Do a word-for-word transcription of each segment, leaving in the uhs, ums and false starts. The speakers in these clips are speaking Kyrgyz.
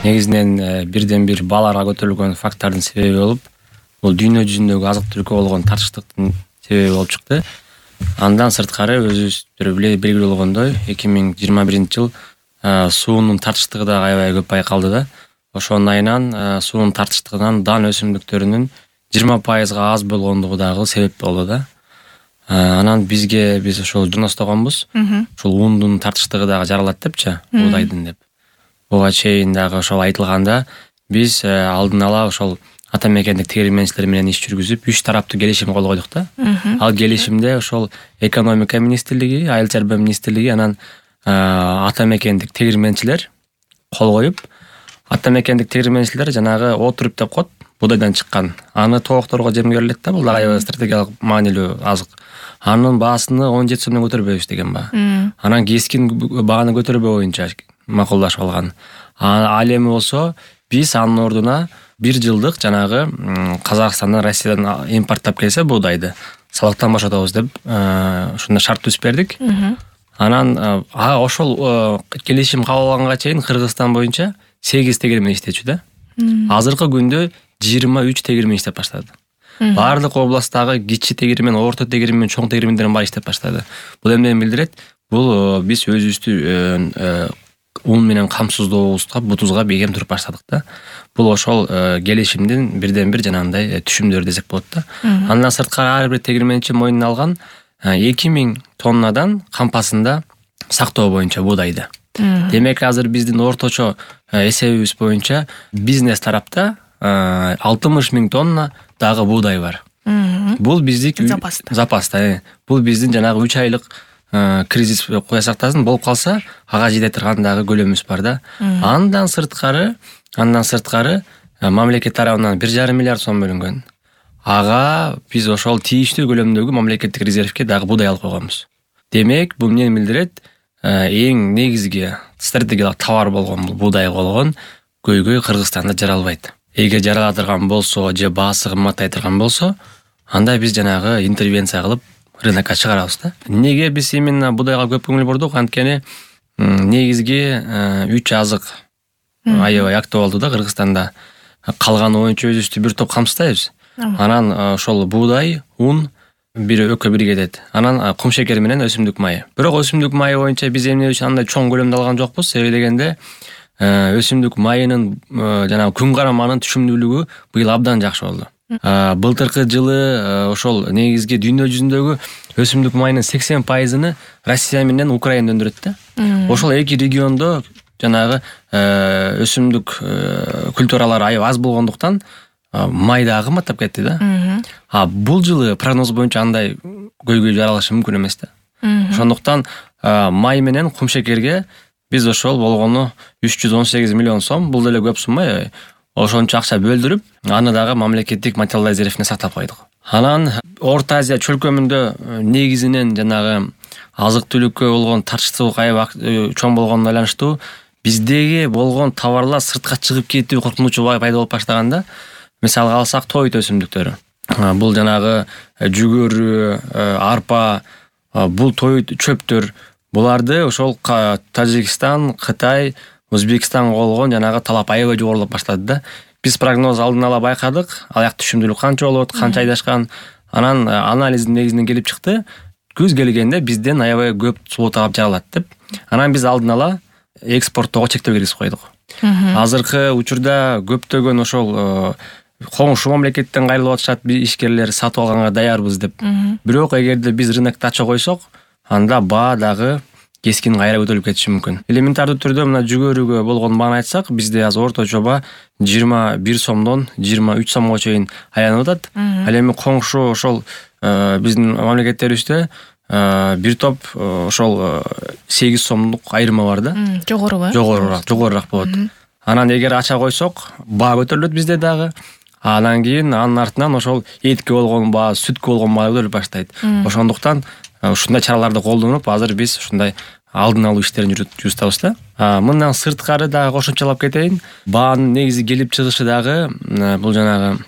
негизинен бирден бир бааларга көтөрүлгөн фактордун себеби болуп, бул дүйнө жүзүндөгү азык-түлүккө болгон тартыштыктын себеби болуп чыкты. Андан сырткары өзүбүздөр белгилүү болгондой, эки миң жыйырма биринчи жыл суунун тартыштыгы да аябай көп байкалды да. Ошонун айынан суунун тартыштыгынан дан өсүмдүктөрүнүн жыйырма пайызга аз болгондугу дагы себеп болду да. Анан бизге биз ошол журностогонбуз. Ошол уундун тартыштыгы дагы жаралат депчи, уудайдын деп. Буга чейин дагы ошол айтылганда, биз алдын ала ошол ата мекендик тегирменчилер менен иш жүргүзүп, үч тараптуу келишим кол койдук да. Ал келишимде ошол экономика министрлиги, айыл чарба министрлиги, анан ата мекендик тегирменчилер кол коюп, ата мекендик тегирменчилер жанагы отуруп деп коет, будайдан чыккан. Аны тоокторго жем берилет да, бул дагы стратегиялык маанилүү азык. Анын баасыны он жети сомдон көтөрбөйбүз деген ба. Анан кескин бааны көтөрбөө боюнча макулдашып алган. Ал эми болсо биз анын ордуна бир жылдык жанагы Казакстандан, Россиядан импорттап келсе буудайды салыктан бошотобуз деп ошондой шарт түзүп бердик. Анан ошол келишим кабыл алганга чейин Кыргызстан боюнча сегиз тегирмен иштечү да. Азыркы күндө жыйырма үч тегирмен иштеп баштады. Баардык областтагы кичи тегирмен, орто тегирмен, чоң тегирмендер баары иштеп баштады. Бул эмнени билдирет? Бул биз өзүбүздү ун менен камсыздообузга, бутубузга бегем туруп баштадык да. Бул ошол келишимдин бирден бир жанагындай түшүмдөрү десек болот да. Андан сырткары ар бир тегирменчи мойнуна алган эки миң тоннадан кампасында сактоо боюнча буудайды. Демек азыр биздин орточо эсебибиз боюнча бизнес тарапта алтымыш миң тонна дагы буудай бар. Бул биздик запаста. Бул биздин жанагы үч айлык кризис кое сактасын болуп калса, ага жете турган дагы көлөмүбүз бар да. Андан сырткары, андан сырткары мамлекет тарабынан бир жарым миллиард сом бөлүнгөн. Ага биз ошол тийиштүү көлөмдөгү мамлекеттик резервге дагы буудай алып койгонбуз. Демек, бул эмнени билдирет? Эң негизги стратегиялык товар болгон бул буудай болгон көйгөй Кыргызстанда жаралбайт. Эгер жарала турган болсо же баасы кымбаттай турган болсо, анда биз жанагы интервенция кылып рынокко чыгарабыз да. Неге биз именно буудайга көп көңүл бурдук? Анткени негизги үч азык аябай актуалдуу да Кыргызстанда. Калганы боюнча өзүбүздү бир топ камсыздайбыз. Анан ошол буудай, ун бир өкө бир кетет. Анан кум шекер менен өсүмдүк майы. Бирок өсүмдүк майы боюнча биз эмне үчүн андай чоң көлөмдө алган жокпуз? Себеби дегенде өсүмдүк майынын жанагы күн караманын түшүмдүүлүгү быйыл абдан жакшы болду. Былтыркы жылы ошол негизги дүйнө жүзүндөгү өсүмдүк майынын сексен пайызын Россия менен Украина өндүрөт да. Ошол эки региондо жанагы өсүмдүк культуралары аябай аз болгондуктан май дагы кымбаттап кетти да. А бул жылы прогноз боюнча андай көйгөй жаралышы мүмкүн эмес да. Ошондуктан май менен кум шекерге биз ошол болгону үч жүз он сегиз миллион сом, бул деле көп сумма, ошончо акча бөлдүрүп, аны дагы мамлекеттик материалдык резервине сактап койдук. Анан Орто Азия чөлкөмүндө негизинен жанагы азык-түлүккө болгон тартыштык аябай чоң болгонуна байланыштуу биздеги болгон товарлар сыртка чыгып кетүү коркунучу пайда болуп баштаганда, мисалга алсак тоют өсүмдүктөрү. Бул жанагы жүгөрү, арпа, бул тоют чөптөр, буларды ошол Тажикстан, Кытай, Өзбекстанга болгон жанагы талап аябай жогорулап баштады да. Биз прогноз алдын ала байкадык, аяк түшүмдүүлүк канча болот, канча айдашкан. Анан анализдин негизинен келип чыкты, күз келгенде бизден аябай көп суу таап жаралат деп. Анан биз алдын ала экспорттоого чектөө киргизип койдук. Азыркы учурда көптөгөн ошол коңшу мамлекеттен кайрылып атышат ишкерлер сатып алганга даярбыз деп. Бирок эгерде биз рынокто ача койсок, анда баа дагы кескин кайра көтөрүлүп кетиши мүмкүн. Элементардуу түрдө мына жүгөрүгө болгон бааны айтсак, бизде азыр орточо баа жыйырма бир сомдон жыйырма үч сомго чейин айланып атат. Ал эми коңшу ошол биздин мамлекеттерибизде бир топ ошол сегиз сомдук айырма бар да. Жогору, жогорураак, жогорураак болот. Анан эгер ача койсок, баа көтөрүлөт бизде дагы. Анан кийин анын артынан ошол этке болгон баа, сүткө болгон баа көтөрүлүп баштайт. Ошондуктан ушундай чараларды колдонуп, азыр биз ушундай алдын алуу иштерин жүргүзүп атабыз да. Мындан сырткары дагы кошумчалап кетейин. Баанын негизи келип чыгышы дагы бул жанагы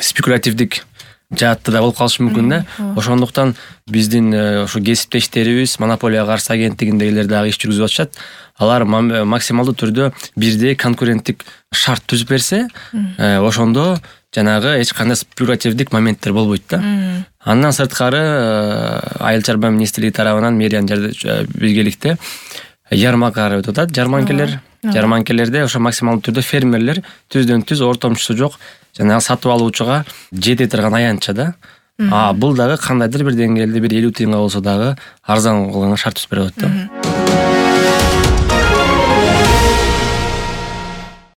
спекулятивдик жаатта да болуп калышы мүмкүн да. Ошондуктан биздин ошо кесиптештерибиз монополияга каршы агенттигиндегилер дагы иш жүргүзүп атышат. Алар максималдуу түрдө бирдей конкуренттик шарт түзүп берсе, ошондо жанагы эч кандай спекулятивдик моменттер болбойт да. Андан сырткары Айыл чарба министрлиги тарабынан мэриянын биргеликте ярмаркалар өтүп атат, жарманкелер. Жарманкелерде ошо максималдуу түрдө фермерлер түздөн түз ортомчусу жок жанагы сатып алуучуга жете турган аянтча да. А бул дагы кандайдыр бир деңгээлде бир элүү тыйынга болсо дагы арзан кылган шарт түзүп берип атат да.